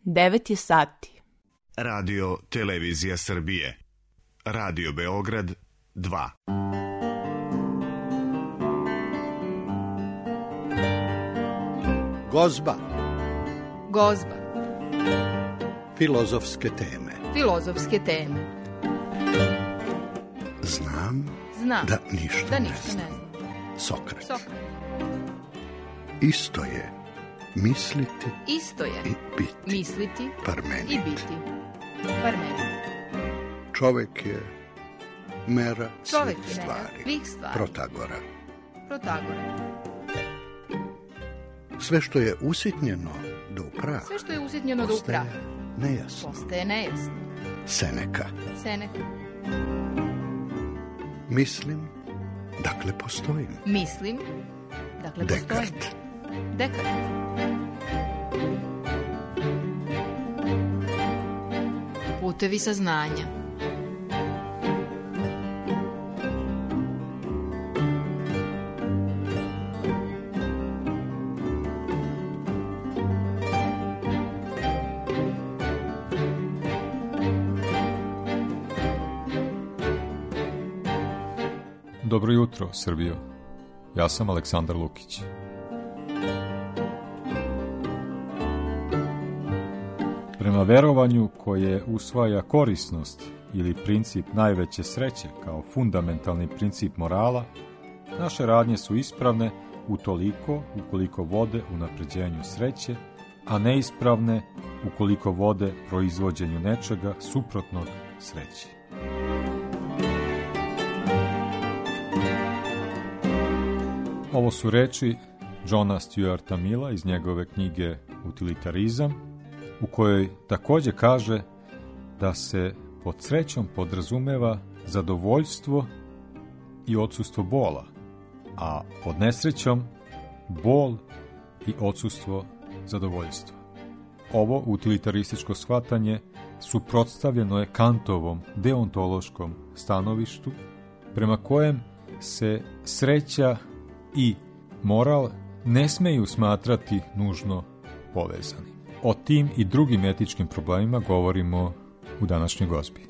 9 je sati. Radio Televizija Srbije. Radio Beograd 2. Gozba. Gozba. Filozofske teme. Filozofske teme. Znam da ništa ne znam. Sokrat. Isto je misliti i biti. Misliti Parmenid. i biti. Parmenid. Čovek je mera Čovek svih je mera stvari. svih stvari. Protagora. Sve što je usitnjeno do prah. Sve što je usitnjeno do prah. Postaje nejasno. Seneka. Mislim, dakle postojim. Dekart. Putevi saznanja. Dobro jutro, Srbijo. Ja sam Aleksandar Lukić. Prema verovanju koje usvaja korisnost ili princip najveće sreće kao fundamentalni princip morala, naše radnje su ispravne utoliko ukoliko vode unapređenju sreće, a neispravne ukoliko vode proizvođenju nečega suprotnog sreći. Ovo su reči Johna Stuarta Milla iz njegove knjige Utilitarizam, u kojoj također kaže da se pod srećom podrazumeva zadovoljstvo i odsustvo bola, a pod nesrećom bol i odsustvo zadovoljstva. Ovo utilitarističko shvatanje suprotstavljeno je Kantovom deontološkom stanovištu, prema kojem se sreća i moral ne smeju smatrati nužno povezani. O tim i drugim etičkim problemima govorimo u današnjoj gozbi.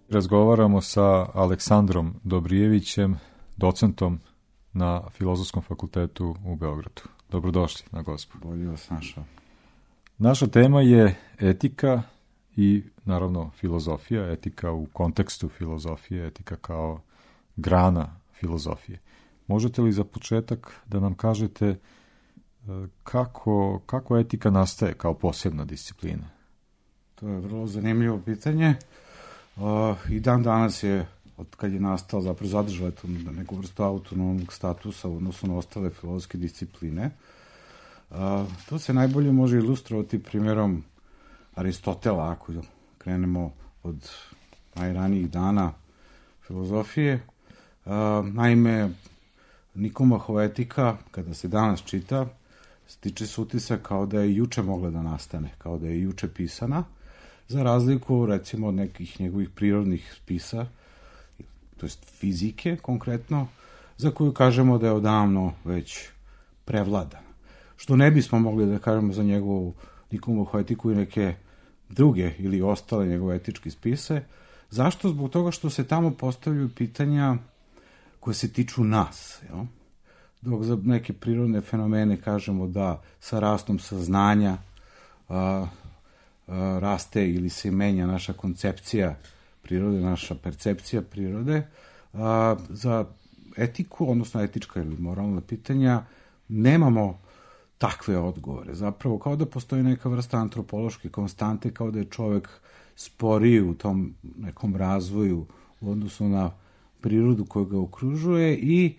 Razgovaramo sa Aleksandrom Dobrijevićem, docentom na Filozofskom fakultetu u Beogradu. Dobrodošli na gozbu. Bolje vas našao. Naša tema je etika i naravno filozofija, etika u kontekstu filozofije, etika kao grana filozofije. Možete li za početak da nam kažete kako etika nastaje kao posebna disciplina? To je vrlo zanimljivo pitanje. I dan danas je, od kad je nastao, zapravo zadržala neku vrstu autonomnog statusa u odnosu na ostale filozofske discipline. To se najbolje može ilustrovati primjerom Aristotela, ako krenemo od najranijih dana filozofije. Naime, Nikomahova etika, kada se danas čita, stiče se utisak kao da je juče mogla da nastane, kao da je juče pisana, za razliku, recimo, od nekih njegovih prirodnih spisa, to jest fizike konkretno, za koju kažemo da je odavno već prevladana. Što ne bismo mogli da kažemo za njegovu Nikomahovu etiku i neke druge ili ostale njegove etičke spise. Zašto? Zbog toga što se tamo postavljaju pitanja koje se tiču nas. Jel? Dok za neke prirodne fenomene kažemo da sa rastom saznanja raste ili se menja naša koncepcija prirode, naša percepcija prirode, za etiku, odnosno etička ili moralna pitanja, nemamo takve odgovore. Zapravo, kao da postoji neka vrsta antropološke konstante, kao da je čovek sporiji u tom nekom razvoju u odnosu na prirodu koja ga okružuje i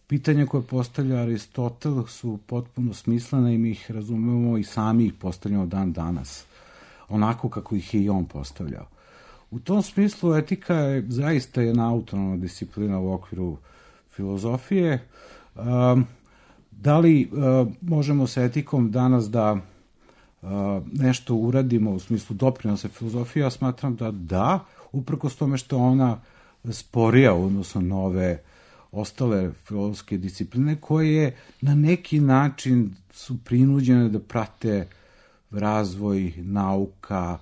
pitanja koje postavlja Aristotel su potpuno smislene i mi ih razumemo i sami ih postavljamo dan danas, onako kako ih je i on postavljao. U tom smislu etika je zaista jedna autonomna disciplina u okviru filozofije. Da li možemo sa etikom danas da nešto uradimo u smislu doprinosa filozofije? Ja smatram da, uprkos tome što ona sporija, odnosno nove ostale filozofske discipline koje na neki način su prinuđene da prate razvoj nauka,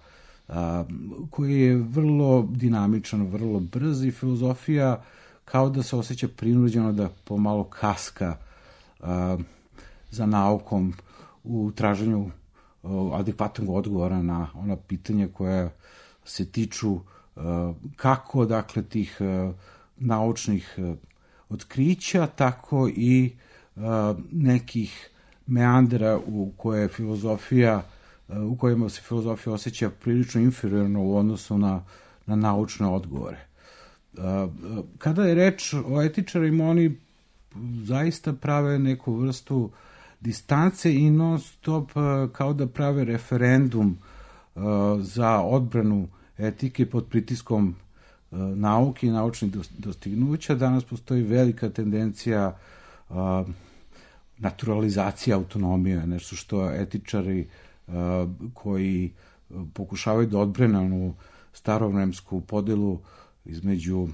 koji je vrlo dinamičan, vrlo brz i filozofija kao da se osjeća prinuđeno da pomalo kaska za naukom u traženju adekvatnog odgovora na ona pitanja koja se tiču kako, dakle, tih naučnih otkrića, tako i nekih meandera u kojima se filozofija osjeća prilično inferiorno u odnosu na naučne odgovore. Kada je reč o etičarima, oni zaista prave neku vrstu distance i non stop kao da prave referendum za odbranu etike pod pritiskom nauke i naučnih dostignuća. Danas postoji velika tendencija naturalizacije autonomije, nešto što etičari koji pokušavaju da odbrane onu starovremsku podelu između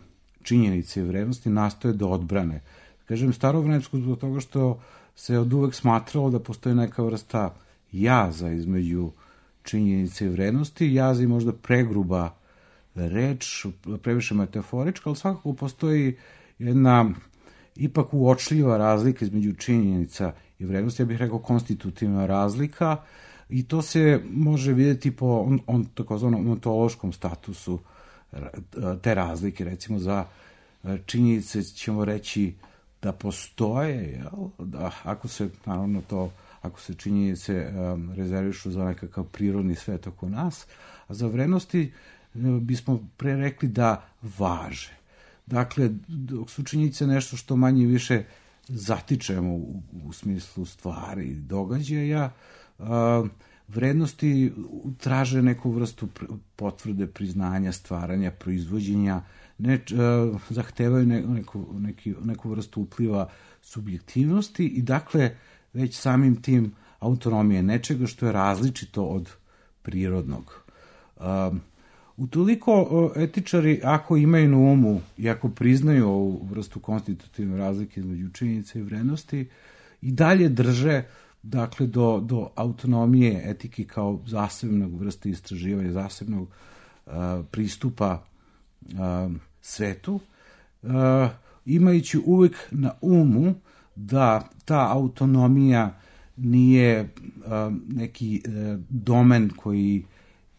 činjenice i vrednosti nastoje da odbrane. Kažem starovremsku zbog toga što se od uvek smatralo da postoji neka vrsta jaza između činjenice i vrednosti. Jaz je možda pregruba reč, previše metaforička, ali svakako postoji jedna ipak uočljiva razlika između činjenica i vrednosti, ja bih rekao konstitutivna razlika, i to se može vidjeti po takozvanom ontološkom statusu te razlike. Recimo za činjenice ćemo reći da postoje, da ako se činjenice rezervišu za nekakav prirodni svet oko nas, a za vrednosti bismo pre rekli da važe. Dakle, dok su činjenice nešto što manje više zatičemo u smislu stvari, događaja, vrednosti traže neku vrstu potvrde, priznanja, stvaranja, proizvođenja, zahtevaju neku vrstu upliva subjektivnosti i dakle već samim tim autonomije nečega što je različito od prirodnog. Utoliko etičari, ako imaju na umu i ako priznaju ovu vrstu konstitutivne razlike između činjenice i vrednosti, i dalje drže, dakle, do autonomije etike kao zasebnog vrste istraživanja, zasebnog pristupa svetu, imajući uvek na umu da ta autonomija nije neki domen koji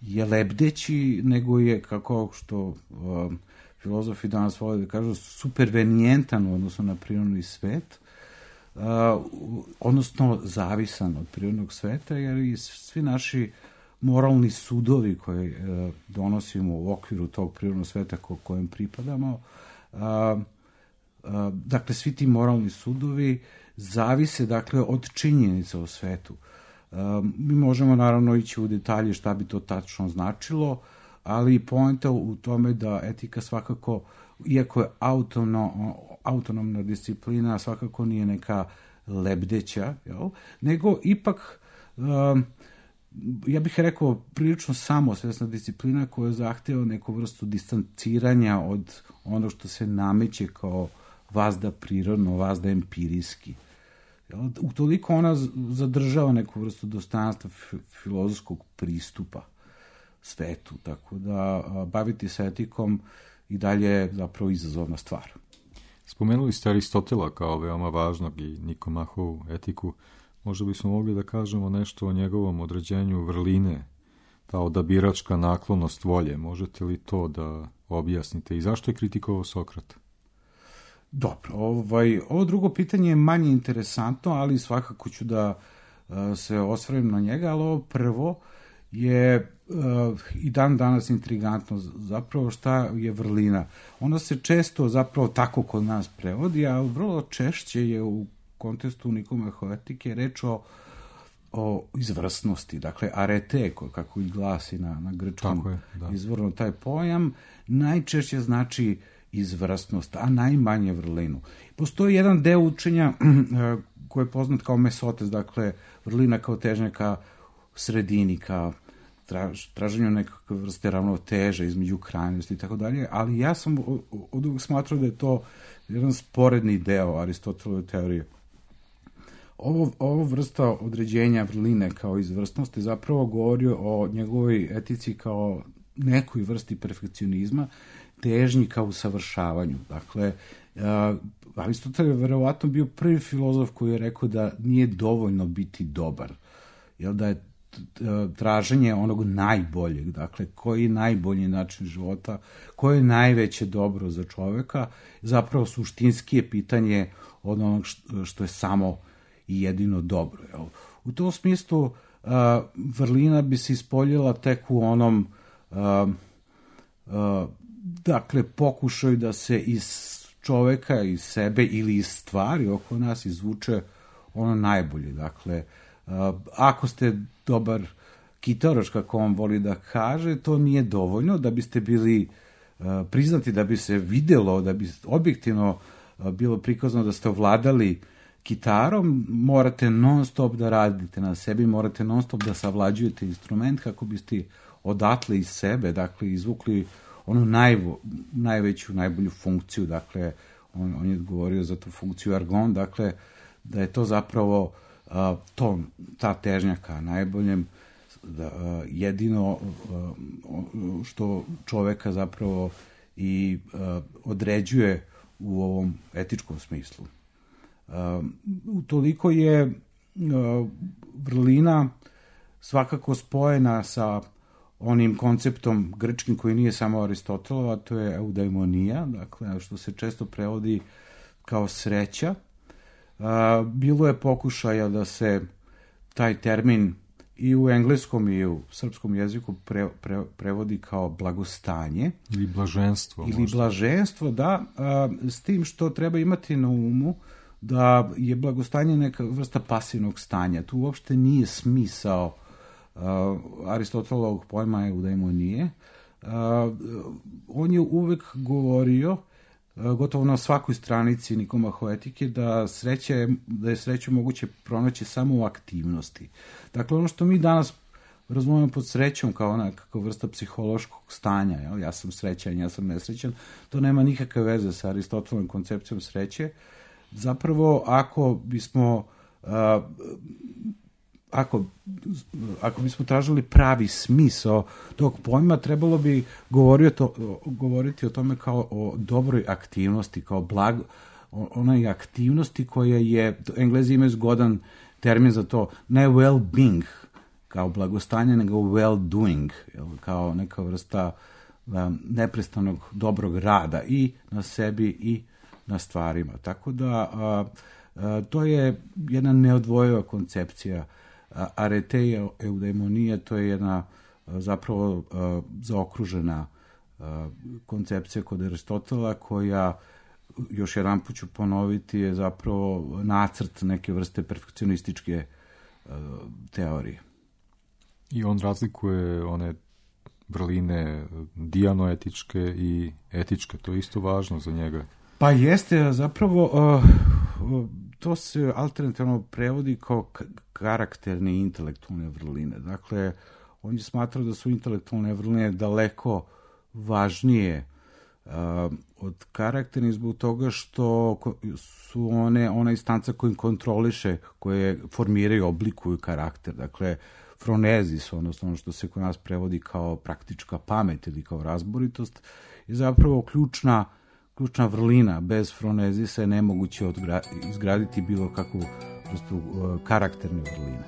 je lebdeći, nego je, kako što filozofi danas vole da kažu, supervenijentan u odnosu na prirodni svet, odnosno zavisan od prirodnog sveta, jer i svi naši moralni sudovi koje donosimo u okviru tog prirodnog sveta kojem pripadamo, dakle, svi ti moralni sudovi zavise, dakle, od činjenica o svetu. Mi možemo naravno ići u detalje šta bi to tačno značilo, ali poenta u tome da etika svakako, iako je autonomna disciplina, svakako nije neka lebdeća, nego ipak, ja bih rekao, prilično samosvesna disciplina koja zahteva neku vrstu distanciranja od ono što se nameće kao vazda prirodno, vazda empirijski. Utoliko ona zadržava neku vrstu dostojanstva filozofskog pristupa svetu, tako da baviti se etikom i dalje je zapravo izazovna stvar. Spomenuli ste Aristotela kao veoma važnog i Nikomahovu etiku. Možda bismo mogli da kažemo nešto o njegovom određenju vrline, ta odabiračka naklonost volje. Možete li to da objasnite i zašto je kritikovao Sokrata? Dobro, ovo drugo pitanje je manje interesantno, ali svakako ću da se osvrnem na njega, ali ovo prvo je i dan danas intrigantno, zapravo šta je vrlina. Ona se često zapravo tako kod nas prevodi, a vrlo češće je u kontekstu Nikomahove etike reč o izvrsnosti, dakle arete, kako i glasi na grčkom izvorno taj pojam, najčešće znači izvrsnost, a najmanje vrlinu. Postoji jedan deo učenja koji je poznat kao mesotes, dakle vrlina kao težnja ka sredini, ka traženju nekakve vrste ravnoteže između krajnosti i tako dalje, ali ja sam od uvijek smatrao da je to jedan sporedni deo Aristotelove teorije. Ovo vrsta određenja vrline kao izvrsnosti zapravo govori o njegovoj etici kao nekoj vrsti perfekcionizma, težnji kao usavršavanju. Dakle, Aristotel je verovatno bio prvi filozof koji je rekao da nije dovoljno biti dobar, jer da je traženje onog najboljeg, dakle, koji je najbolji način života, koje je najveće dobro za čoveka, zapravo suštinski je pitanje od onog što je samo i jedino dobro. Jel? U tom smislu vrlina bi se ispoljila tek u onom dakle, pokušaju da se iz čoveka, iz sebe ili iz stvari oko nas izvuče ono najbolje. Dakle, ako ste dobar kitaraš, kako on voli da kaže, to nije dovoljno da biste bili priznati, da bi se videlo, da bi objektivno bilo prikazano da ste ovladali kitarom, morate non stop da radite na sebi, morate non stop da savlađujete instrument kako biste odatle iz sebe, dakle, izvukli onu najveću, najbolju funkciju, dakle, on je govorio za tu funkciju argon, dakle, da je to zapravo ta težnja ka najboljem, jedino što čoveka zapravo i određuje u ovom etičkom smislu. Utoliko je vrlina svakako spojena sa onim konceptom grčkim koji nije samo Aristotelova, to je eudaimonija, dakle, što se često prevodi kao sreća. Bilo je pokušaja da se taj termin i u engleskom i u srpskom jeziku prevodi kao blagostanje. Ili blaženstvo. Ili blaženstvo, da, s tim što treba imati na umu da je blagostanje neka vrsta pasivnog stanja. Tu uopšte nije smisao Aristotelovog pojma eudaimonije. On je uvek govorio, gotovo na svakoj stranici Nikomahoetike, da je sreću moguće pronaći samo u aktivnosti. Dakle, ono što mi danas razumemo pod srećom kao nekakva vrsta psihološkog stanja, jel? Ja sam srećan, ja sam nesrećan, to nema nikakve veze sa Aristotelovom koncepcijom sreće. Zapravo, ako bismo tražili pravi smisao tog pojma, trebalo bi govoriti o tome kao o dobroj aktivnosti, kao onoj aktivnosti koja je, Englezi imaju zgodan termin za to, ne well-being, kao blagostanje, nego well-doing, kao neka vrsta neprestanog dobrog rada i na sebi i na stvarima. Tako da to je jedna neodvojiva koncepcija. Arete eudaimonija, to je jedna zapravo zaokružena koncepcija kod Aristotela, koja, još jedan put ću ponoviti, je zapravo nacrt neke vrste perfekcionističke teorije. I on razlikuje one vrline dijanoetičke i etičke, to je isto važno za njega. Pa jeste, zapravo to se alternativno prevodi kao karakterne i intelektualne vrline. Dakle, on je smatrao da su intelektualne vrline daleko važnije od karakternih zbog toga što su ona instanca koja kontroliše, koje formiraju, oblikuju karakter. Dakle, fronezis, odnosno ono što se kod nas prevodi kao praktička pamet ili kao razboritost, je zapravo ključna vrlina. Bez fronezisa je nemoguće izgraditi bilo kakvu vrstu karakterne vrline.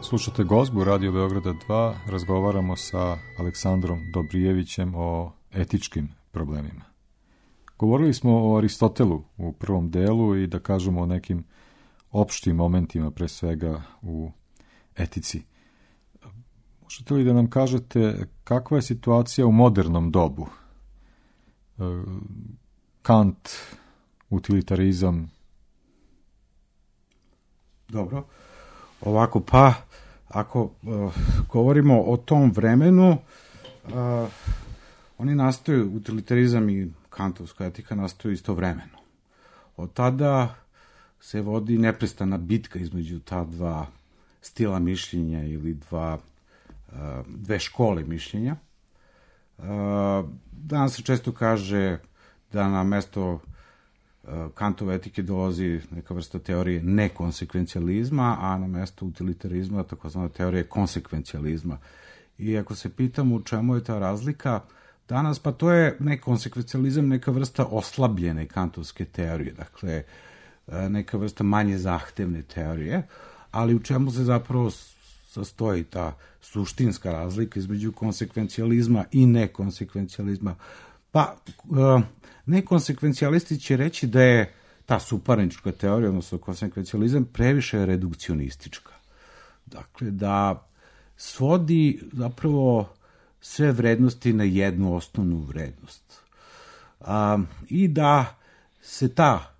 Slušate Gozbu Radio Beograda 2, razgovaramo sa Aleksandrom Dobrijevićem o etičkim problemima. Govorili smo o Aristotelu u prvom delu i da kažemo o nekim opštim momentima, pre svega u etici. Možete li da nam kažete kakva je situacija u modernom dobu? Kant, utilitarizam. Dobro. Ovako, pa, ako govorimo o tom vremenu, oni nastaju, utilitarizam i kantovska etika nastaju istovremeno. Od tada se vodi neprestana bitka između ta dva stila mišljenja ili dve škole mišljenja. Danas se često kaže da na mesto Kantove etike dolazi neka vrsta teorije nekonsekvencijalizma, a na mesto utilitarizma takozvana teorija konsekvencijalizma. I ako se pitamo u čemu je ta razlika danas, pa to je nekonsekvencijalizam, neka vrsta oslabljene kantovske teorije, dakle neka vrsta manje zahtevne teorije, ali u čemu se zapravo sastoji ta suštinska razlika između konsekvencijalizma i nekonsekvencijalizma? Pa, nekonsekvencijalisti će reći da je ta suparnička teorija, odnosno konsekvencijalizam, previše redukcionistička. Dakle, da svodi zapravo sve vrednosti na jednu osnovnu vrednost. I da se ta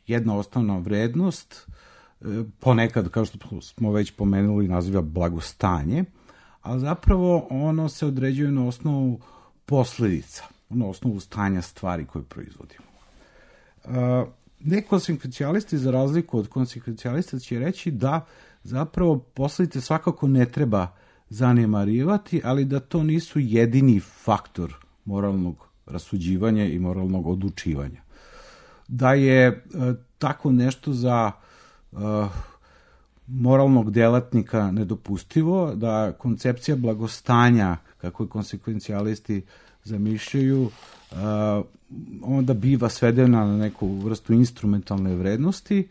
jedna osnovna vrednost ponekad, kao što smo već pomenuli, naziva blagostanje, a zapravo ono se određuje na osnovu posledica, na osnovu stanja stvari koje proizvodimo. Nekonsekvencijalisti, za razliku od konsekvencijalista, će reći da zapravo posledice svakako ne treba zanemarivati, ali da to nisu jedini faktor moralnog rasuđivanja i moralnog odlučivanja. Da je tako nešto za moralnog delatnika nedopustivo, da koncepcija blagostanja, kako i konsekvencijalisti zamišljaju, onda biva svedena na neku vrstu instrumentalne vrednosti,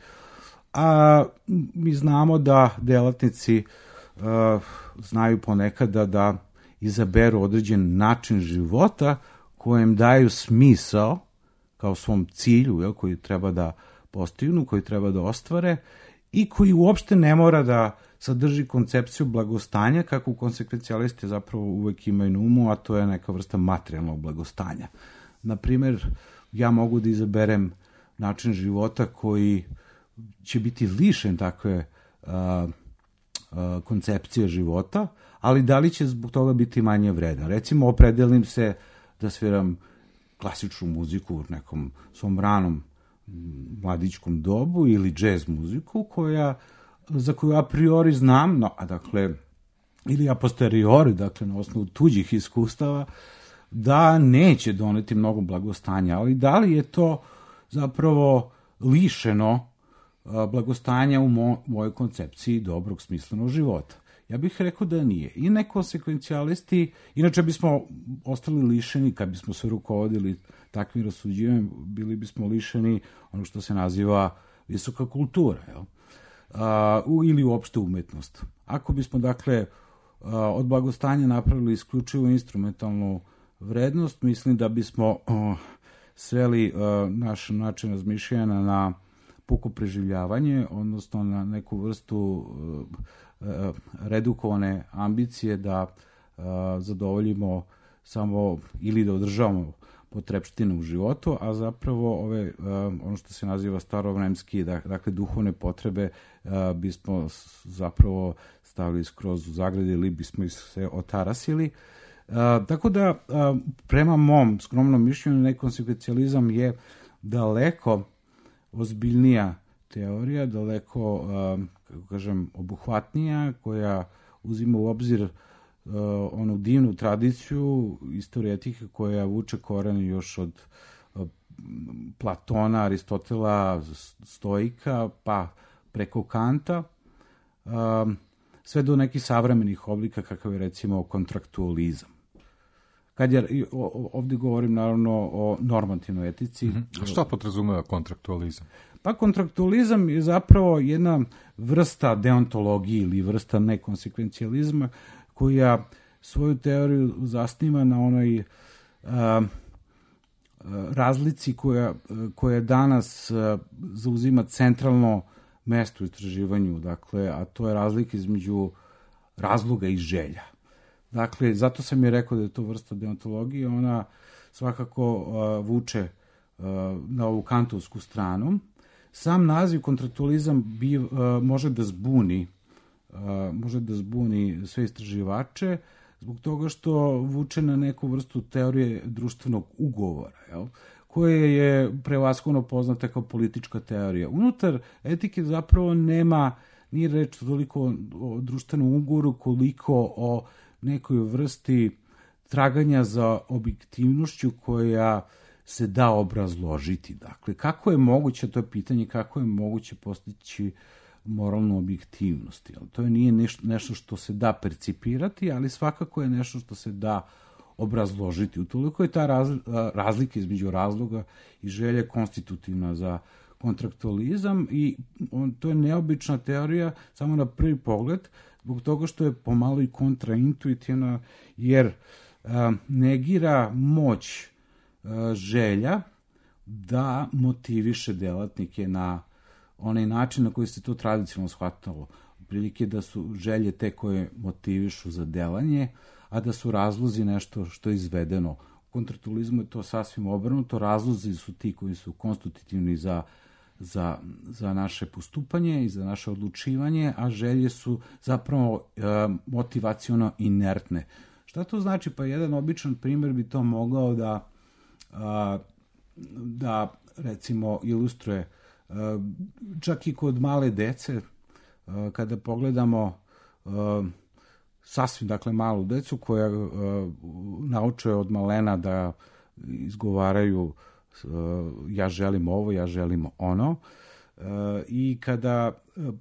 a mi znamo da delatnici znaju ponekada da izaberu određen način života kojem daju smisao kao svom cilju, koji treba da postignu, koji treba da ostvare i koji uopšte ne mora da sadrži koncepciju blagostanja, kako konsekvencijalisti zapravo uvek imaju na umu, a to je neka vrsta materijalnog blagostanja. Naprimer, ja mogu da izaberem način života koji će biti lišen takve koncepcije života, ali da li će zbog toga biti manje vredan? Recimo, opredelim se da sviram klasičnu muziku u nekom svom ranom mladićkom dobu ili džez muziku za koju a priori znam, ili a posteriori, dakle na osnovu tuđih iskustava, da neće doneti mnogo blagostanja, ali da li je to zapravo lišeno blagostanja u mojoj koncepciji dobrog smislenog života? Ja bih rekao da nije. I nekonsekvencijalisti, inače bismo ostali lišeni, kad bismo se rukovodili takvim rasuđivanjem, bili bismo lišeni ono što se naziva visoka kultura, ili uopšte umetnost. Ako bismo, dakle, od blagostanja napravili isključivo instrumentalnu vrednost, mislim da bismo sveli naš način razmišljanja na puko preživljavanje, odnosno na neku vrstu redukovane ambicije da zadovoljimo samo ili da održavamo potrepštine u životu, a zapravo ono što se naziva starovremski, dakle duhovne potrebe, bismo zapravo stavili skroz u zagrade ili bismo ih se otarasili. Tako da, prema mom skromnom mišljenju, nekonsekvencijalizam je daleko ozbiljnija teorija, daleko, kako kažem, obuhvatnija, koja uzima u obzir onu divnu tradiciju istorije etike koja vuče koren još od Platona, Aristotela, Stoika, pa preko Kanta, sve do nekih savremenih oblika kakav je recimo kontraktualizam. ovdje govorim naravno o normativnoj etici. A šta podrazumeva kontraktualizam? Pa kontraktualizam je zapravo jedna vrsta deontologije ili vrsta nekonsekvencijalizma koja svoju teoriju zasniva na onoj razlici koja danas zauzima centralno mesto u istraživanju, dakle, a to je razlika između razloga i želja. Dakle, zato sam je rekao da je to vrsta deontologije, ona svakako vuče na ovu kantovsku stranu. Sam naziv kontraktualizam može da zbuni sve istraživače zbog toga što vuče na neku vrstu teorije društvenog ugovora, koje je prevashodno poznata kao politička teorija. Unutar etike zapravo nije reč toliko o društvenom ugovoru koliko o nekoj vrsti traganja za objektivnošću koja se da obrazložiti. Dakle, kako je moguće, to je pitanje kako je moguće postići moralnu objektivnost. To nije nešto što se da percipirati, ali svakako je nešto što se da obrazložiti. Utoliko je ta razlika između razloga i želje konstitutivna za kontraktualizam i to je neobična teorija samo na prvi pogled, zbog toga što je pomalo i kontraintuitivna, jer negira moć želja da motiviše delatnike na onaj način na koji se to tradicionalno shvatalo. Prilike da su želje te koje motivišu za delanje, a da su razlozi nešto što je izvedeno. U kontraktualizmu je to sasvim obrnuto. Razlozi su ti koji su konstitutivni za naše postupanje i za naše odlučivanje, a želje su zapravo motivaciono inertne. Šta to znači? Pa jedan običan primjer bi to mogao da recimo ilustruje čak i kod male dece, kada pogledamo sasvim, dakle, malu decu koja nauče od malena da izgovaraju ja želim ovo, ja želim ono, i kada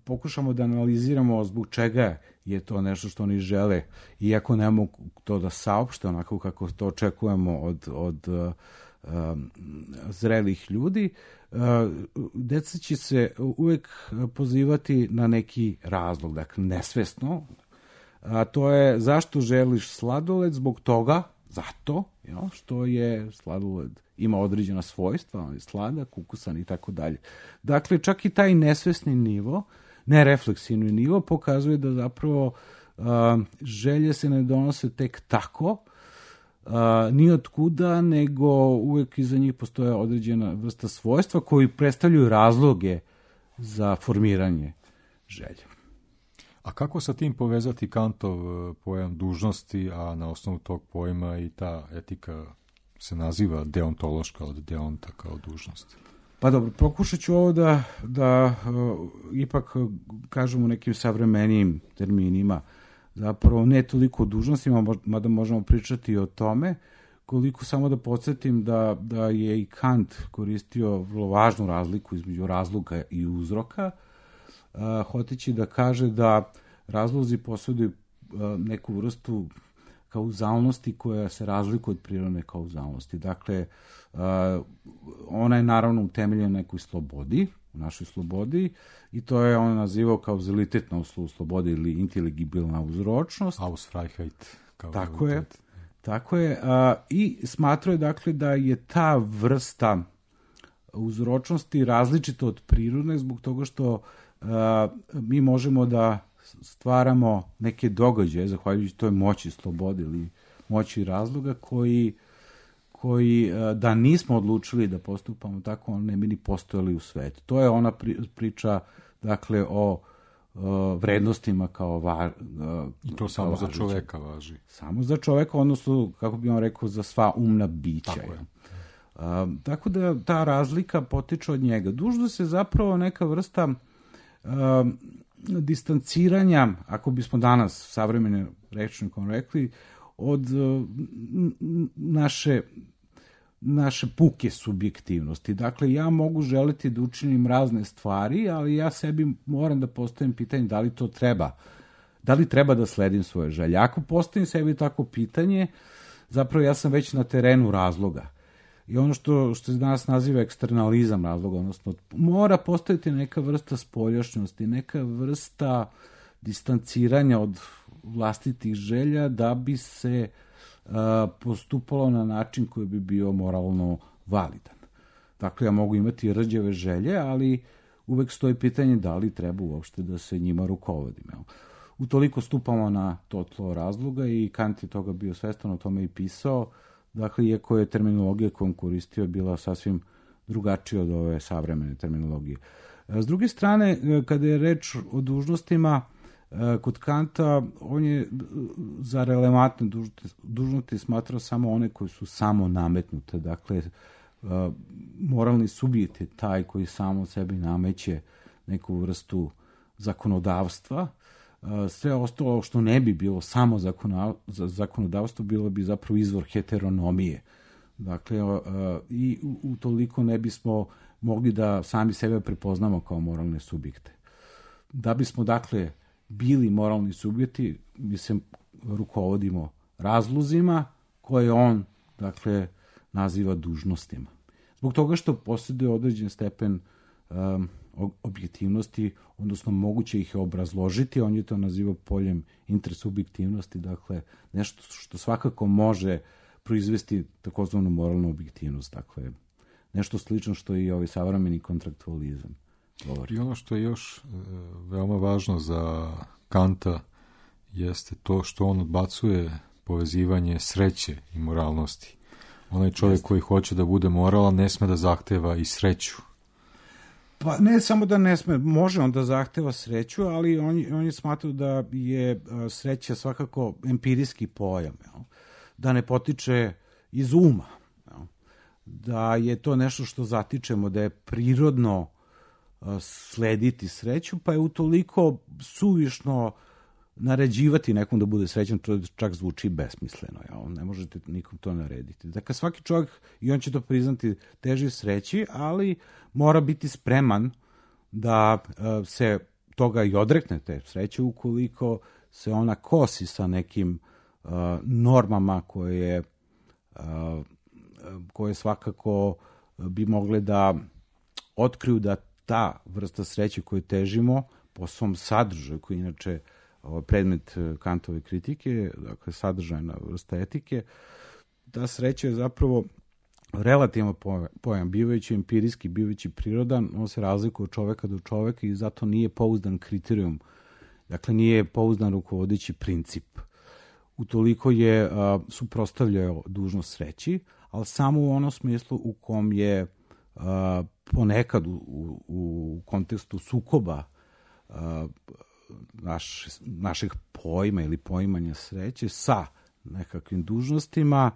pokušamo da analiziramo zbog čega je to nešto što oni žele, iako ne mogu to da saopšte onako kako to očekujemo od zrelih ljudi, deca će se uvek pozivati na neki razlog, dakle nesvesno, a to je zašto želiš sladoled, zbog toga, zato što je sladoled ima određena svojstva, on je sladak, ukusan i tako dalje. Dakle, čak i taj nesvesni nivo, nerefleksivni nivo, pokazuje da zapravo želje se ne donose tek tako, ni od kuda, nego uvek iza njih postoje određena vrsta svojstva koji predstavljaju razloge za formiranje želje. A kako sa tim povezati Kantov pojam dužnosti, a na osnovu tog pojma i ta etika se naziva deontološka od deonta kao dužnost? Pa dobro, pokušat ću ovo da ipak kažemo nekim savremenijim terminima. Zapravo ne toliko o dužnostima, mada možemo pričati o tome, koliko samo da podsjetim da je i Kant koristio vrlo važnu razliku između razloga i uzroka, hoteći da kaže da razlozi posjeduju neku vrstu kauzalnosti koja se razlikuje od prirodne kauzalnosti. Dakle, ona je naravno utemeljena na nekoj slobodi, u našoj slobodi, i to je on nazivao kauzalitet na osnovu slobode ili inteligibilna uzročnost. Ausfreiheit. Tako je. I smatrao je, dakle, da je ta vrsta uzročnosti različita od prirodne zbog toga što mi možemo da stvaramo neke događaje, zahvaljujući toj moći slobode ili moći razloga, koji da nismo odlučili da postupamo tako, on ne bi ni postojali u svetu. To je ona priča, dakle, o vrednostima kao i to samo za čoveka važi. Samo za čoveka, odnosno, kako bi on rekao, za sva umna bića. Tako je. Tako da ta razlika potiče od njega. Dužnost je zapravo neka vrsta distanciranja, ako bismo danas savremenim rečnikom rekli, od naše puke subjektivnosti. Dakle, ja mogu želiti da učinim razne stvari, ali ja sebi moram da postavim pitanje da li to treba. Da li treba da sledim svoje želje? Ako postavim sebi tako pitanje, zapravo ja sam već na terenu razloga. I ono što se danas naziva eksternalizam razloga, odnosno mora postojati neka vrsta spoljašnjosti, neka vrsta distanciranja od vlastitih želja da bi se postupalo na način koji bi bio moralno validan. Dakle, ja mogu imati rđave želje, ali uvek stoji pitanje da li treba uopšte da se njima rukovodim. Utoliko stupamo na to tlo razloga i Kant je toga bio svestan, o tome i pisao. Dakle, iako je terminologija koju on koristio bila sasvim drugačija od ove savremene terminologije. S druge strane, kada je reč o dužnostima, kod Kanta, on je za relevantne dužnosti smatrao samo one koje su samo nametnute. Dakle, moralni subjekt je taj koji samo sebi nameće neku vrstu zakonodavstva. Sve ostalo što ne bi bilo samo zakonodavstvo, bilo bi zapravo izvor heteronomije. Dakle, i utoliko ne bismo mogli da sami sebe prepoznamo kao moralne subjekte. Da bismo, dakle, bili moralni subjekti, mi se rukovodimo razlozima koje on, dakle, naziva dužnostima. Zbog toga što posjeduje određen stepen objektivnosti, odnosno moguće ih je obrazložiti, on je to nazivao poljem intersubjektivnosti, dakle, nešto što svakako može proizvesti takozvanu moralnu objektivnost, dakle, nešto slično što i ovaj savremeni kontraktualizam govori. I ono što je još veoma važno za Kanta jeste to što on odbacuje povezivanje sreće i moralnosti. Onaj čovjek koji hoće da bude moralan ne sme da zahteva i sreću. Pa ne samo da ne sme, može on da zahteva sreću, ali on je smatrao da je sreća svakako empirijski pojam, da ne potiče iz uma, da je to nešto što zatičemo, da je prirodno slediti sreću, pa je utoliko suvišno naređivati nekom da bude srećan, to čak zvuči besmisleno. Ne možete nikom to narediti. Dakle, svaki čovjek, i on će to priznati, teži sreći, ali mora biti spreman da se toga i odrekne te sreće ukoliko se ona kosi sa nekim normama koje svakako bi mogle da otkriju da ta vrsta sreće koju težimo po svom sadržaju, koji inače predmet Kantove kritike, dakle sadržajna vrsta etike, ta sreća je zapravo relativan pojam, bivajući empirijski, bivajući prirodan, on se razlikuje od čoveka do čoveka i zato nije pouzdan kriterijum, dakle nije pouzdan rukovodeći princip. Utoliko je suprotstavljao dužnost sreći, ali samo u onom smislu u kom je ponekad u kontekstu sukoba našeg pojma ili poimanja sreće sa nekakvim dužnostima,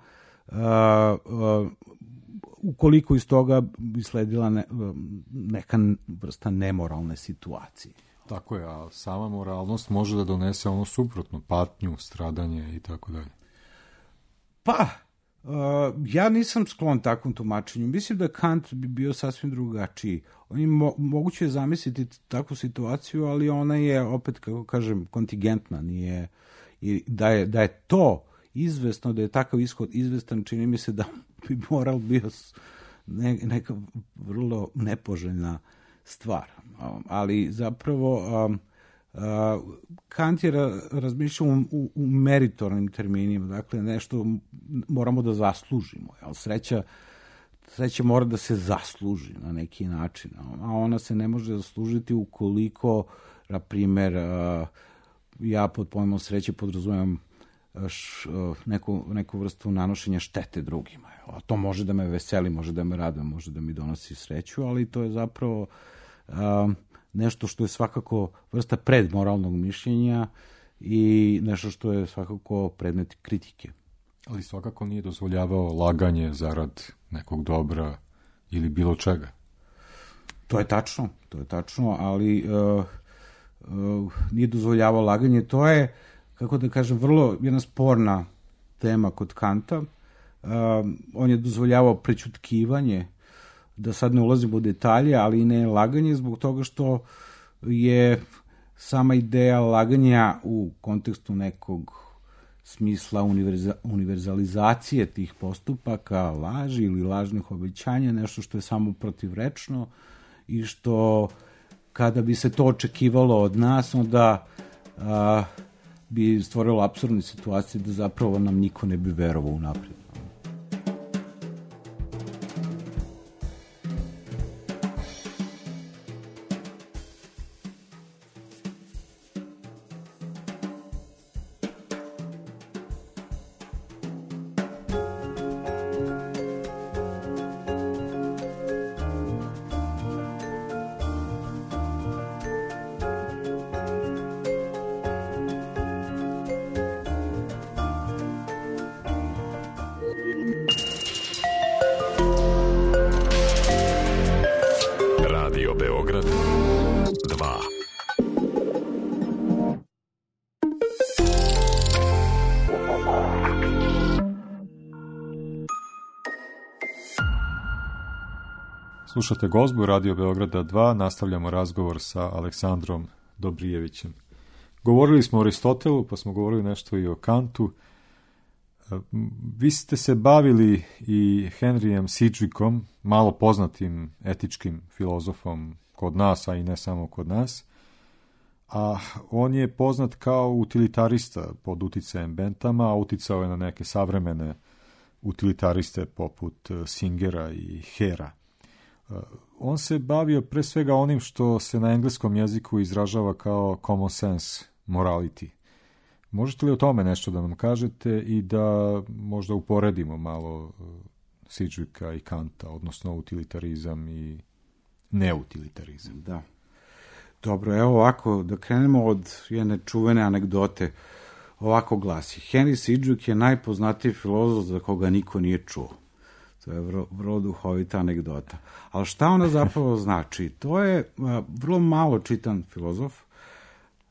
ukoliko iz toga bi sledila neka vrsta nemoralne situacije. Tako je, a sama moralnost može da donese ono suprotno, patnju, stradanje i tako dalje. Pa, ja nisam sklon takvom tumačenju. Mislim da Kant bi bio sasvim drugačiji. Moguće je zamisliti takvu situaciju, ali ona je, opet, kako kažem, kontingentna. Nije, i da je to izvesno, da je takav ishod izvestan, čini mi se da bi moral bio neka vrlo nepoželjna stvar. Ali zapravo Kant je razmišljao u meritornim terminima, dakle nešto moramo da zaslužimo, jel? Sreća mora da se zasluži na neki način, a ona se ne može zaslužiti ukoliko, na primjer, ja pod pojmom sreće podrazumem neku vrstu nanošenja štete drugima. A to može da me veseli, može da me raduje, može da mi donosi sreću, ali to je zapravo nešto što je svakako vrsta predmoralnog mišljenja i nešto što je svakako predmet kritike. Ali svakako nije dozvoljavao laganje zarad nekog dobra ili bilo čega. To je tačno, ali nije dozvoljavao laganje. To je, kako da kažem, vrlo jedna sporna tema kod Kanta. On je dozvoljavao prećutkivanje, da sad ne ulazimo u detalje, ali i ne laganje, zbog toga što je sama ideja laganja u kontekstu nekog smisla univerzalizacije tih postupaka, laži ili lažnih obećanja, nešto što je samo protivrečno i što kada bi se to očekivalo od nas, onda bi stvorilo apsurdne situacije da zapravo nam niko ne bi verovao unaprijed. Radio Beograd 2. Slušate Gozbu Radio Beograda 2, nastavljamo razgovor sa Aleksandrom Dobrijevićem. Govorili smo o Aristotelu, pa smo govorili nešto i o Kantu. Vi ste se bavili i Henryjem Sidgwickom, malo poznatim etičkim filozofom kod nas, a i ne samo kod nas. A on je poznat kao utilitarista pod uticajem Benthama, a uticao je na neke savremene utilitariste poput Singera i Hera. On se bavio pre svega onim što se na engleskom jeziku izražava kao common sense morality. Možete li o tome nešto da nam kažete i da možda uporedimo malo Sidgwicka i Kanta, odnosno utilitarizam i neutilitarizam? Da. Dobro, evo ovako, da krenemo od jedne čuvene anegdote. Ovako glasi: Henry Sidgwick je najpoznatiji filozof za koga niko nije čuo. To je vrlo duhovita anegdota. Ali šta ona zapravo znači? To je vrlo malo čitan filozof,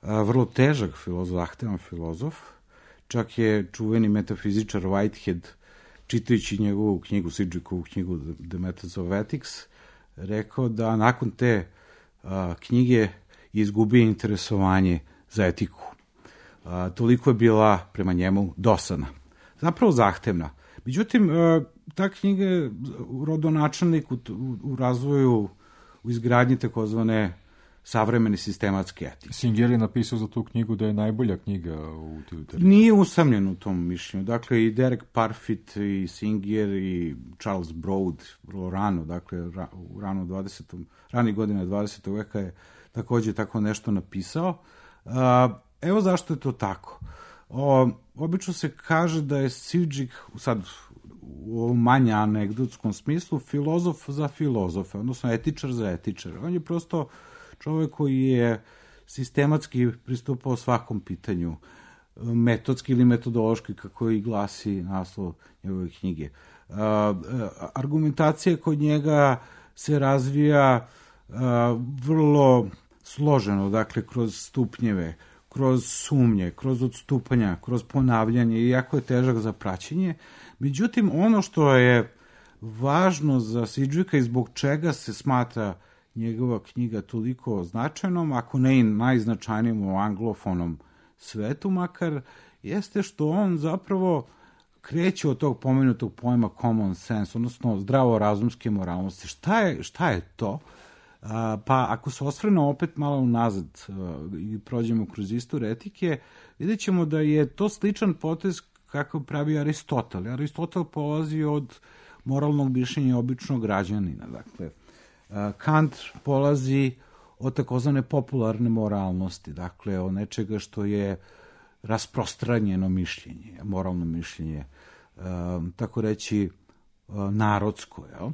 vrlo težak filozof, zahtevan filozof. Čak je čuveni metafizičar Whitehead, čitajući njegovu knjigu, Sidgwickovu knjigu The Methods of Ethics, rekao da nakon te knjige izgubio interesovanje za etiku. Toliko je bila prema njemu dosadna. Zapravo zahtevna. Međutim, ta knjiga je rodonačelnik u razvoju, u izgradnji takozvane savremene sistematske etike. Singer je napisao za tu knjigu da je najbolja knjiga u utilitarizmu. Nije usamljen u tom mišljenju. Dakle, i Derek Parfit, i Singer, i Charles Broad, vrlo rano, dakle, u ranih godina 20. veka je takođe tako nešto napisao. Evo zašto je to tako. Obično se kaže da je Sidgwick, sad u ovom manje anegdotskom smislu, filozof za filozofa, odnosno etičar za etičar. On je prosto čovjek koji je sistematski pristupao svakom pitanju, metodski ili metodološki, kako i glasi naslov njegove knjige. Argumentacija kod njega se razvija vrlo složeno, dakle, kroz stupnjeve, kroz sumnje, kroz odstupanja, kroz ponavljanje, i jako je težak za praćenje. Međutim, ono što je važno za Sidgwicka i zbog čega se smatra njegova knjiga toliko značajnom, ako ne i najznačajnijim u anglofonom svetu makar, jeste što on zapravo kreće od tog pomenutog pojma common sense, odnosno zdravorazumske moralnosti. Šta je to? Pa ako se osvrnemo opet malo unazad i prođemo kroz istoriju etike, vidjet ćemo da je to sličan potez kako pravi Aristotel. Aristotel polazi od moralnog mišljenja običnog građanina. Dakle, Kant polazi od takozvane popularne moralnosti, dakle od nečega što je rasprostranjeno mišljenje, moralno mišljenje, tako reći narodsko, jel?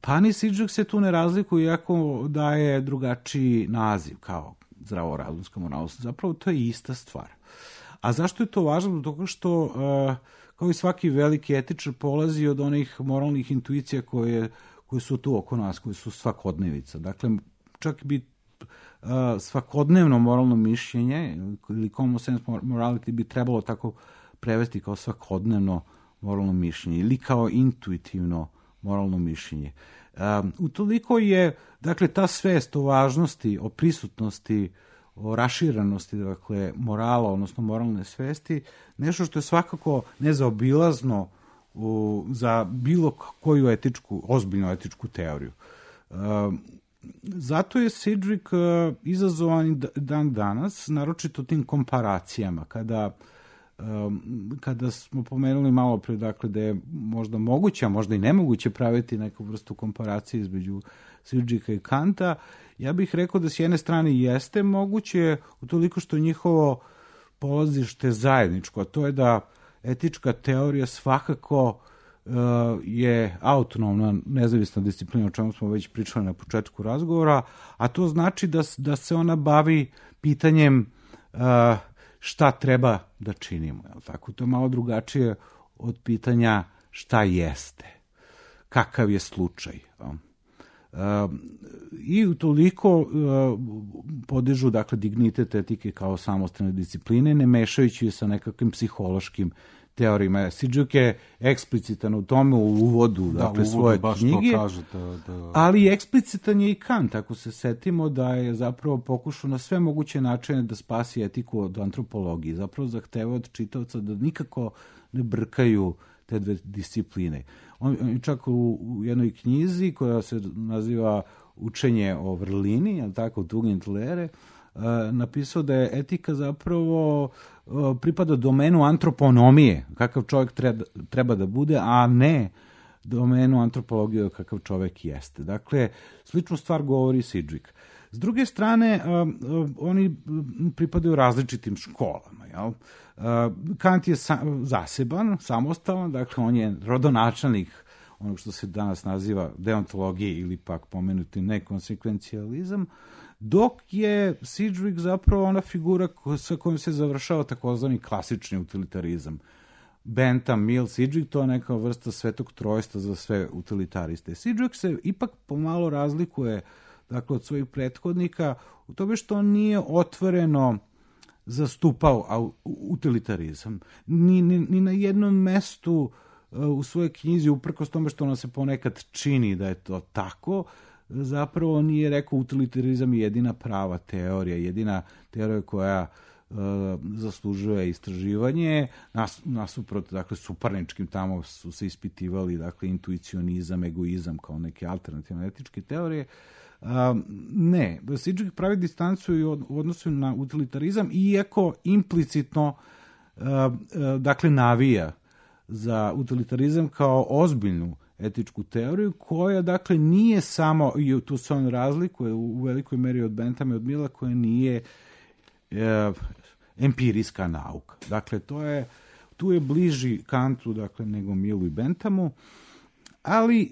Pa ni Sidgwick se tu ne razlikuje, iako daje drugačiji naziv kao zdravorazumska moralnost. Zapravo to je ista stvar. A zašto je to važno? Zato što, kao i svaki veliki etičar, polazi od onih moralnih intuicija koje su tu oko nas, koje su svakodnevica. Dakle, čak bi svakodnevno moralno mišljenje ili common sense morality bi trebalo tako prevesti kao svakodnevno moralno mišljenje ili kao intuitivno moralno mišljenje. Utoliko je, dakle, ta svest o važnosti, o prisutnosti o raširenosti, dakle, morala, odnosno moralne svesti, nešto što je svakako nezaobilazno za bilo koju ozbiljnu etičku teoriju. Zato je Sidgwick izazovan dan danas, naročito tim komparacijama, kada smo pomenuli malo pre, dakle, da je možda moguće, a možda i nemoguće praviti neku vrstu komparacije između Sidgwicka i Kanta, ja bih rekao da s jedne strane jeste moguće, utoliko što njihovo polazište zajedničko, a to je da etička teorija svakako je autonomna, nezavisna disciplina, o čemu smo već pričali na početku razgovora, a to znači da se ona bavi pitanjem šta treba da činimo. Tako, to je malo drugačije od pitanja šta jeste, kakav je slučaj. I utoliko podižu, dakle, dignitet etike kao samostalne discipline, ne mešajući je sa nekakvim psihološkim teorijama. Sidgwick je eksplicitan u tome u uvodu, dakle, svoje knjige, ali eksplicitan je i Kant, ako se setimo da je zapravo pokušao na sve moguće načine da spasi etiku od antropologije, zapravo zahteva od čitaoca da nikako ne brkaju te dve discipline. On čak u jednoj knjizi koja se naziva Učenje o vrlini, je tako, Tugendlehre, napisao da je etika zapravo pripada domenu antroponomije, kakav čovjek treba da bude, a ne domenu antropologije kakav čovjek jeste. Dakle, sličnu stvar govori Sidgwick. S druge strane, oni pripadaju različitim školama. Jel? Kant je zaseban, samostalan, dakle on je rodonačelnik onog što se danas naziva deontologije ili pak pomenuti nekonsekvencijalizam, dok je Sidgwick zapravo ona figura sa kojom se završava takozvani klasični utilitarizam. Bentham, Mill, Sidgwick, to je neka vrsta svetog trojstva za sve utilitariste. Sidgwick se ipak pomalo razlikuje, dakle, od svojih prethodnika u tome što on nije otvoreno zastupao utilitarizam. Ni na jednom mestu u svojoj knjizi, uprkos tome što ona se ponekad čini da je to tako, zapravo nije rekao utilitarizam je jedina prava teorija, jedina teorija koja zaslužuje istraživanje, nasuprot, dakle, suparničkim, tamo su se ispitivali, dakle, intuicionizam, egoizam kao neke alternativne etičke teorije. Ne, Sidgwick pravi distancu i u odnosu na utilitarizam, iako implicitno, dakle, navija za utilitarizam kao ozbiljnu etičku teoriju, koja, dakle, nije samo, i tu se on razlikuje u velikoj meri od Benthama i od Milla, koja nije empirijska nauka. Dakle, tu je bliži Kantu, dakle, nego Millu i Benthamu, ali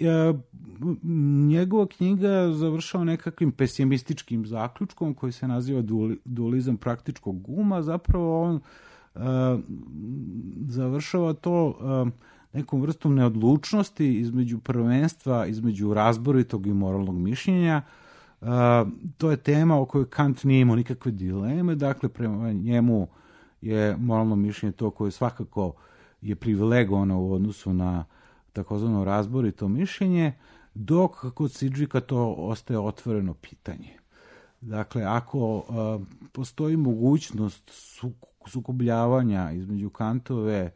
njegova knjiga završava nekakvim pesimističkim zaključkom koji se naziva dualizam praktičkog uma. Zapravo on završava to nekom vrstom neodlučnosti između prvenstva, između razboritog i moralnog mišljenja. To je tema o kojoj Kant nije imao nikakve dileme, dakle, prema njemu je moralno mišljenje to koje svakako je privilegovano u odnosu na takozvano razborito mišljenje, dok kod Sidgwicka to ostaje otvoreno pitanje. Dakle, ako postoji mogućnost sukobljavanja između Kantove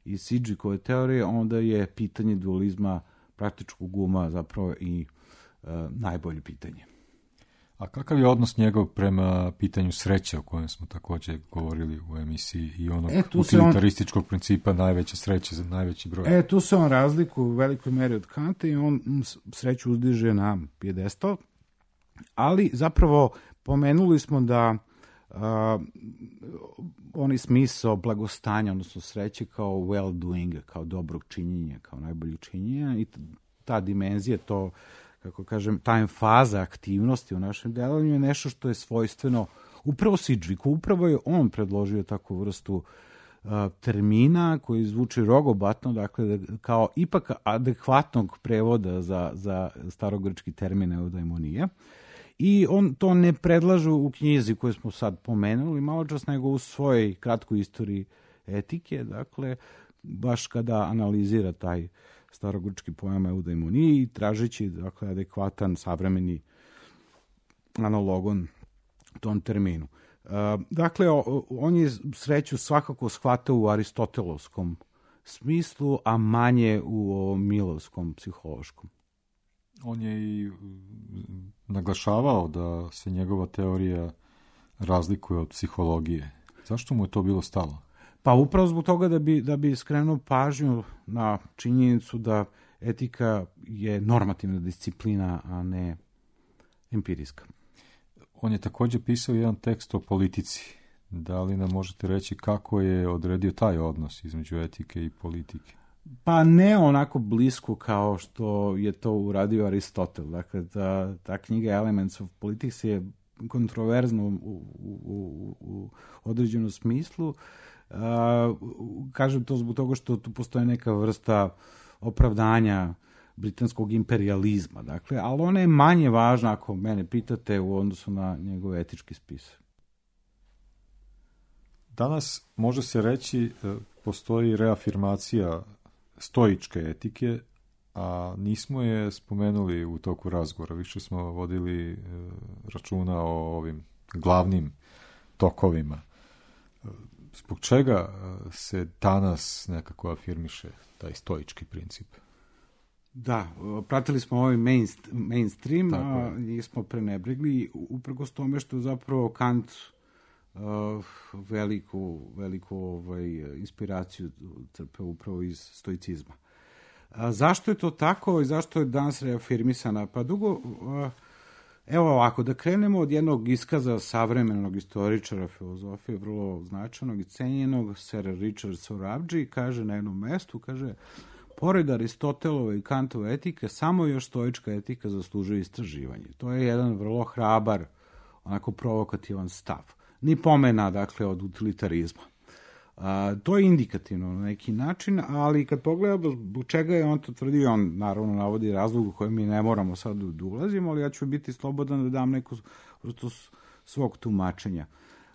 i Sidgwickove teorije, onda je pitanje dualizma praktičkog uma zapravo i najbolje pitanje. A kakav je odnos njegov prema pitanju sreće, o kojem smo također govorili u emisiji, i onog utilitarističkog principa najveće sreće za najveći broj? Tu se on razlikuje u velikoj meri od Kanta i on sreću uzdiže na pijedestal, ali zapravo pomenuli smo da oni smisao blagostanja, odnosno sreće kao well-doing, kao dobrog činjenja, kao najboljeg činjenja, i ta dimenzija, to, kako kažem, ta emfaza aktivnosti u našem delovanju je nešto što je svojstveno upravo Sidgwicku. Upravo je on predložio takvu vrstu termina koji zvuči rogobatno, dakle, kao ipak adekvatnog prevoda za starogrčki termin eudaimonija. I on to ne predlaže u knjizi koju smo sad pomenuli malo čas, nego u svojoj kratkoj istoriji etike, dakle, baš kada analizira taj starogrčki pojam eudaimonije i tražeći, dakle, adekvatan savremeni analogon tom terminu. Dakle, on je sreću svakako shvatao u aristotelovskom smislu, a manje u ovom milovskom psihološkom. On je i naglašavao da se njegova teorija razlikuje od psihologije. Zašto mu je to bilo stalo? Pa upravo zbog toga da bi skrenuo pažnju na činjenicu da etika je normativna disciplina, a ne empirijska. On je također pisao jedan tekst o politici. Da li nam možete reći kako je odredio taj odnos između etike i politike? Pa ne onako blisko kao što je to uradio Aristotel. Dakle, ta knjiga Elements of Politics je kontroverzno u određenom smislu. Kažem to zbog toga što tu postoje neka vrsta opravdanja britanskog imperializma. Dakle, ali ona je manje važna, ako mene pitate, u odnosu na njegov etički spis. Danas može se reći postoji reafirmacija stoičke etike, a nismo je spomenuli u toku razgovora. Više smo vodili računa o ovim glavnim tokovima. Zbog čega se danas nekako afirmiše taj stoički princip? Da, pratili smo ovaj mainstream, a nismo prenebregli, uprkos tome što je zapravo Kant veliku inspiraciju crpe upravo iz stoicizma. Zašto je to tako i zašto je danas reafirmisana? Pa dugo, evo ovako, da krenemo od jednog iskaza savremenog istoričara filozofije, vrlo značajnog i cenjenog, Sir Richard Sorabji, kaže na jednom mestu, kaže, pored Aristotelove i Kantove etike, samo još stoička etika zaslužuje istraživanje. To je jedan vrlo hrabar, onako provokativan stav. Ni pomena, dakle, od utilitarizma. To je indikativno na neki način, ali kad pogledamo zbog čega je on to tvrdio, on naravno navodi razlog u kojem mi ne moramo sad da ulazimo, ali ja ću biti slobodan da dam neku vrstu svog tumačenja.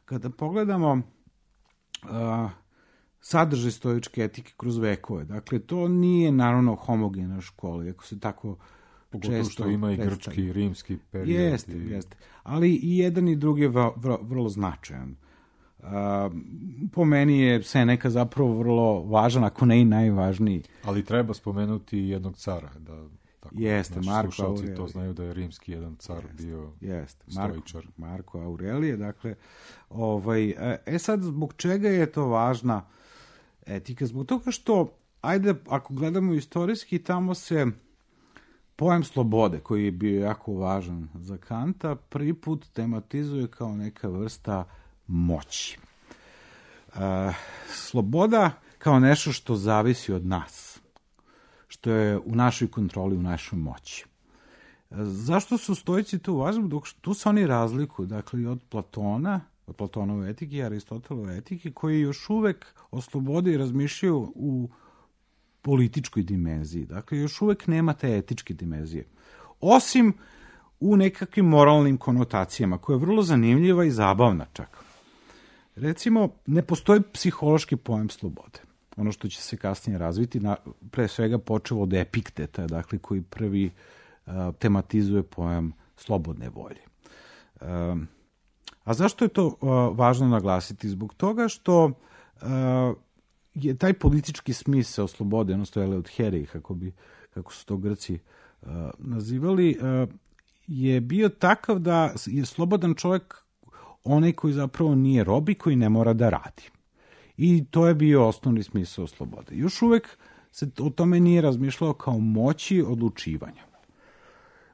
Kada pogledamo sadržaj stoičke etike kroz vekove, dakle, to nije naravno homogena škola, ako se tako pogotovo što ima i grčki i rimski period. Jeste. Ali i jedan i drugi je vrlo značajan. Po meni je Seneca zapravo vrlo važan, ako ne i najvažniji. Ali treba spomenuti jednog cara, da tako, jeste, Marko slušalci Aurelije. to znaju da je rimski jedan car bio stoičar. Marko Aurelije, dakle, sad zbog čega je to važna etika? Zbog toga što, ajde, ako gledamo istorijski, tamo se pojam slobode, koji je bio jako važan za Kanta, prvi put tematizuje kao neka vrsta moći. Sloboda kao nešto što zavisi od nas, što je u našoj kontroli, u našoj moći. Zašto su stoici tu važni? Dok tu se oni razlikuju, dakle, od Platona, od Platonove etike i Aristotelove etike, koji još uvek o slobodi razmišljaju u političkoj dimenziji. Dakle, još uvek nema te etičke dimenzije. Osim u nekakvim moralnim konotacijama, koja je vrlo zanimljiva i zabavna čak. Recimo, ne postoji psihološki pojam slobode. Ono što će se kasnije razviti, pre svega počevo od Epikteta, dakle, koji prvi tematizuje pojam slobodne volje. A zašto je to važno naglasiti? Zbog toga što je taj politički smisao slobode, odnosno eleutherije, kako su to Grci nazivali, je bio takav da je slobodan čovjek onaj koji zapravo nije rob i koji ne mora da radi. I to je bio osnovni smisao slobode. Još uvek se o tome nije razmišljalo kao moći odlučivanja.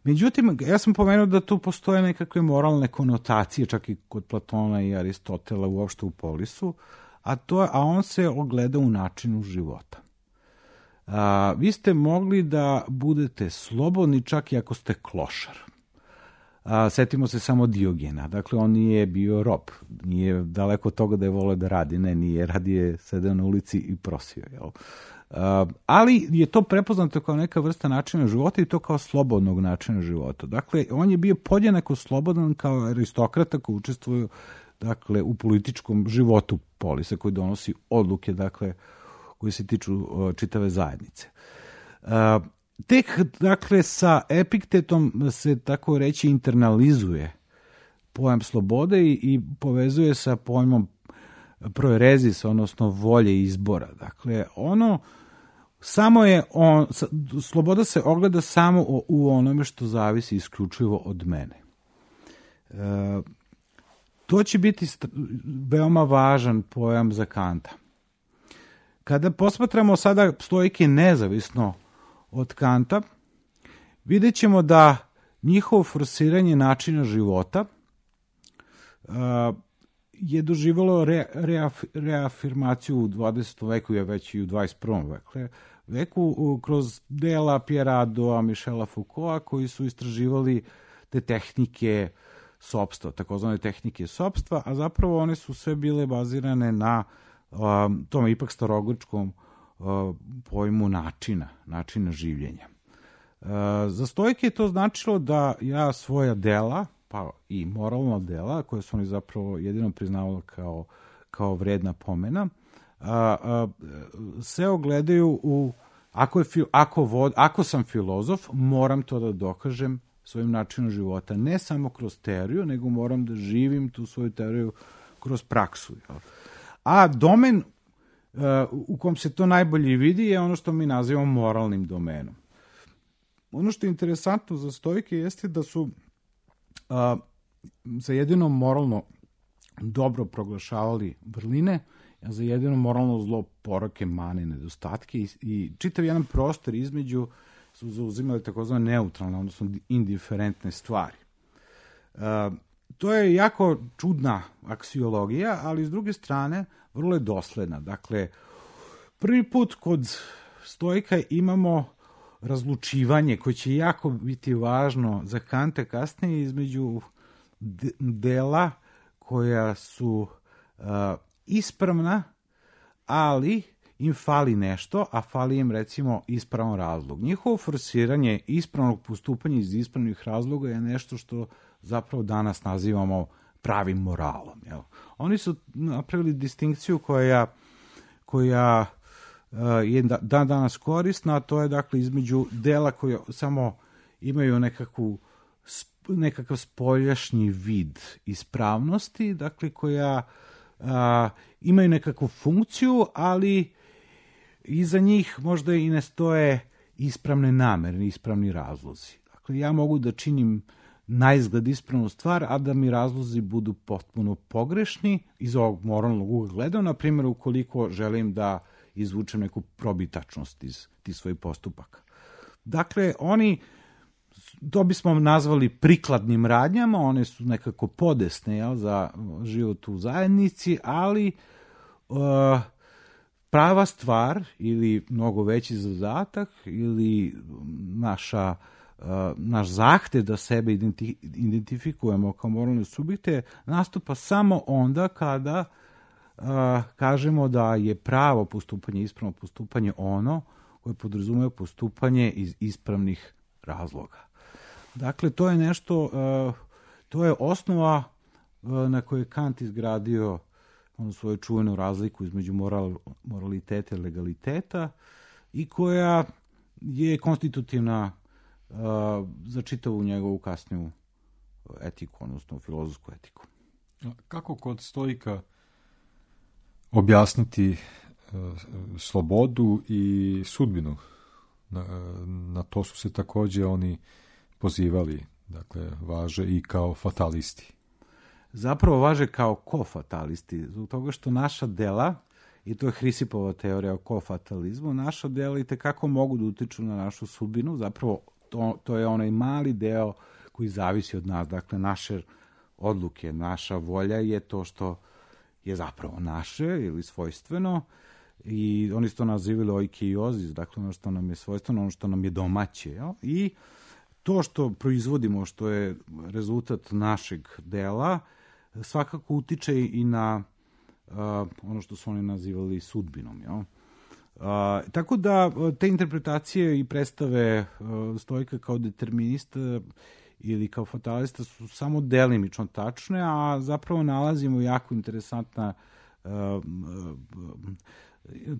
Međutim, ja sam pomenuo da tu postoje nekakve moralne konotacije, čak i kod Platona i Aristotela, uopšte u Polisu, a on se ogleda u načinu života. Vi ste mogli da budete slobodni čak i ako ste klošar. Setimo se samo Diogena. Dakle, on nije bio rob. Nije daleko od toga da je voleo da radi. Ne, nije. Radije sedeo na ulici i prosio. Jel? Ali je to prepoznato kao neka vrsta načina života i to kao slobodnog načina života. Dakle, on je bio podjednako slobodan kao aristokrata koji učestvuje, dakle, u političkom životu Polisa, koji donosi odluke, dakle, koji se tiču čitave zajednice. Tek, dakle, sa Epiktetom se, tako reći, internalizuje pojam slobode i povezuje sa pojmom proerezis, odnosno volje izbora. Dakle, sloboda se ogleda samo u onome što zavisi isključivo od mene. To će biti veoma važan pojam za Kanta. Kada posmatramo sada stoike nezavisno od Kanta, vidjet ćemo da njihovo forsiranje načina života je doživjelo reafirmaciju u 20. veku, je već i u 21. veku kroz dela Pierre Haddoa, Michela Foucaulta, koji su istraživali te tehnike sopstva, takozvane tehnike sopstva, a zapravo one su sve bile bazirane na tome ipak starogrčkom pojmu načina življenja. Za stoike je to značilo da ja svoja dela, pa i moralna dela, koje su oni zapravo jedino priznavali kao vredna pomena, se ogledaju u ako sam filozof, moram to da dokažem svojim načinom života, ne samo kroz teoriju, nego moram da živim tu svoju teoriju kroz praksu. A domen u kom se to najbolje vidi je ono što mi nazivamo moralnim domenom. Ono što je interesantno za stoike jeste da su za jedino moralno dobro proglašavali vrline, a za jedino moralno zlo poroke, mane, nedostatke i čitav jedan prostor između su zauzimali takozvane neutralne, odnosno indiferentne stvari. To je jako čudna aksiologija, ali s druge strane vrlo je dosledna. Dakle, prvi put kod stoika imamo razlučivanje koje će jako biti važno za Kanta kasnije između dela koja su ispravna, ali im fali nešto, a fali im recimo ispravan razlog. Njihovo forsiranje ispravnog postupanja iz ispravnih razloga je nešto što zapravo danas nazivamo pravim moralom. Jel? Oni su napravili distinkciju koja je danas korisna, a to je dakle između dela koja samo imaju nekakav spoljašnji vid ispravnosti, dakle koja imaju nekakvu funkciju, ali iza njih možda i ne stoje ispravne namere, ispravni razlozi. Dakle, ja mogu da činim naizgled ispravnu stvar, a da mi razlozi budu potpuno pogrešni iz ovog moralnog ugla gleda, na primjer ukoliko želim da izvučem neku probitačnost iz tih svojih postupaka. Dakle, to bismo nazvali prikladnim radnjama, one su nekako podesne za život u zajednici, ali prava stvar ili mnogo veći zadatak ili naš zahtev da sebe identifikujemo kao moralne subjekte nastupa samo onda kada kažemo da je pravo postupanje, ispravno postupanje ono koje podrazumeva postupanje iz ispravnih razloga. Dakle, to je nešto, to je osnova na kojoj je Kant izgradio svoju čuvenu razliku između moraliteta i legaliteta i koja je konstitutivna za čitavu njegovu kasniju etiku, odnosno filozofsku etiku. Kako kod stoika objasniti slobodu i sudbinu? Na to su se također oni pozivali, dakle, važe i kao fatalisti. Zapravo važe kao kofatalisti, zbog toga što naša dela, i to je Hrisipova teorija o kofatalizmu, naša dela i tekako mogu da utiču na našu sudbinu, zapravo to je onaj mali deo koji zavisi od nas, dakle, naše odluke, naša volja je to što je zapravo naše ili svojstveno, i oni su to nazivali oikeiozis, dakle ono što nam je svojstveno, ono što nam je domaće. Jel? I to što proizvodimo, što je rezultat našeg dela, svakako utiče i na ono što su oni nazivali sudbinom. Jel? Tako da te interpretacije i predstave stoika kao determinista ili kao fatalista su samo delimično tačne, a zapravo nalazimo jako interesantna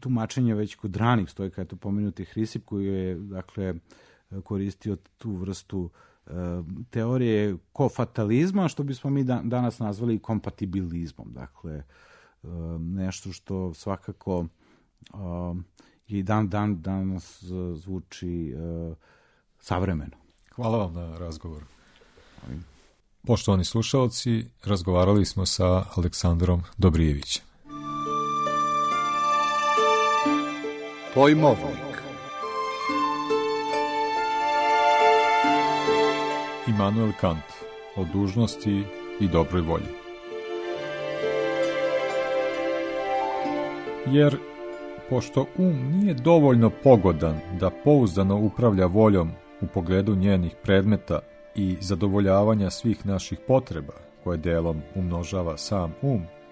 tumačenja već kod ranih stoika, eto pomenuti Hrisip koji je dakle koristio tu vrstu teorije kofatalizma, što bismo mi danas nazvali kompatibilizmom. Dakle, nešto što svakako i danas zvuči savremeno. Hvala vam na razgovoru. Poštovani slušalci, razgovarali smo sa Aleksandrom Dobrijevićem. Pojmovnik. Immanuel Kant o dužnosti i dobroj volji. Jer, pošto nije dovoljno pogodan da pouzdano upravlja voljom u pogledu njenih predmeta i zadovoljavanja svih naših potreba, koje delom umnožava sam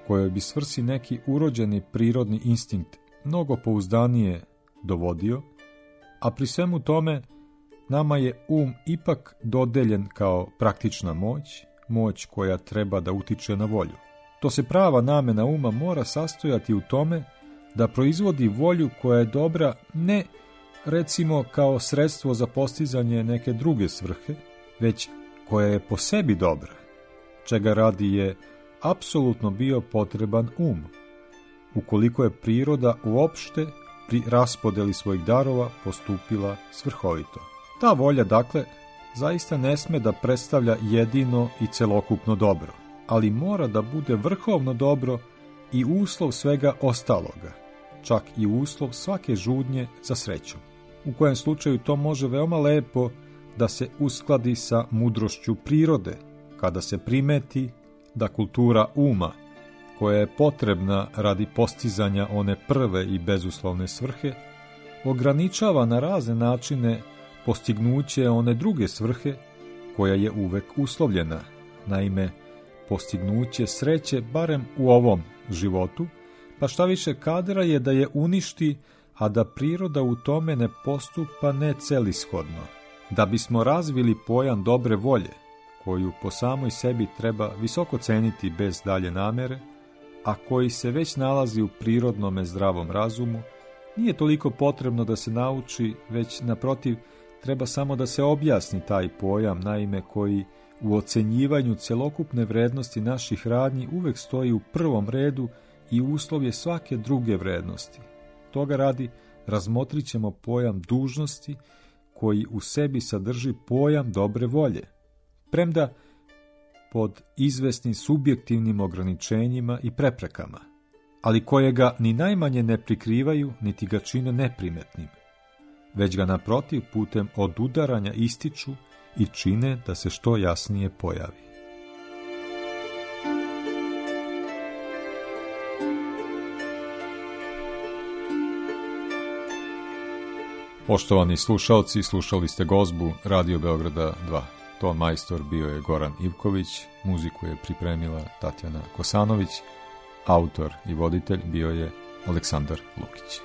kojoj bi svrsi neki urođeni prirodni instinkt mnogo pouzdanije dovodio, a pri svemu tome nama je ipak dodeljen kao praktična moć koja treba da utiče na volju. To se prava namena mora sastojati u tome da proizvodi volju koja je dobra ne, recimo, kao sredstvo za postizanje neke druge svrhe, već koja je po sebi dobra, čega radi je apsolutno bio potreban ukoliko je priroda uopšte pri raspodeli svojih darova postupila svrhovito. Ta volja, dakle, zaista ne sme da predstavlja jedino i celokupno dobro, ali mora da bude vrhovno dobro i uslov svega ostaloga, čak i uslov svake žudnje za srećom. U kojem slučaju to može veoma lepo da se uskladi sa mudrošću prirode, kada se primeti da kultura koja je potrebna radi postizanja one prve i bezuslovne svrhe, ograničava na razne načine postignuće one druge svrhe koja je uvek uslovljena, naime, postignuće sreće barem u ovom životu, pa šta više kadra je da je uništi, a da priroda u tome ne postupa necelishodno. Da bismo razvili pojam dobre volje, koju po samoj sebi treba visoko ceniti bez dalje namere, a koji se već nalazi u prirodnome zdravom razumu, nije toliko potrebno da se nauči, već naprotiv treba samo da se objasni taj pojam, naime koji u ocenjivanju celokupne vrednosti naših radnji uvek stoji u prvom redu i uslov je svake druge vrednosti. Toga radi razmotrit ćemo pojam dužnosti koji u sebi sadrži pojam dobre volje, premda pod izvesnim subjektivnim ograničenjima i preprekama, ali koje ga ni najmanje ne prikrivaju, niti ga čine neprimetnim, već ga naprotiv putem odudaranja ističu i čine da se što jasnije pojavi. Poštovani slušalci, slušali ste gozbu Radio Beograda 2. Ton majstor bio je Goran Ivković, muziku je pripremila Tatjana Kosanović, autor i voditelj bio je Aleksandar Lukić.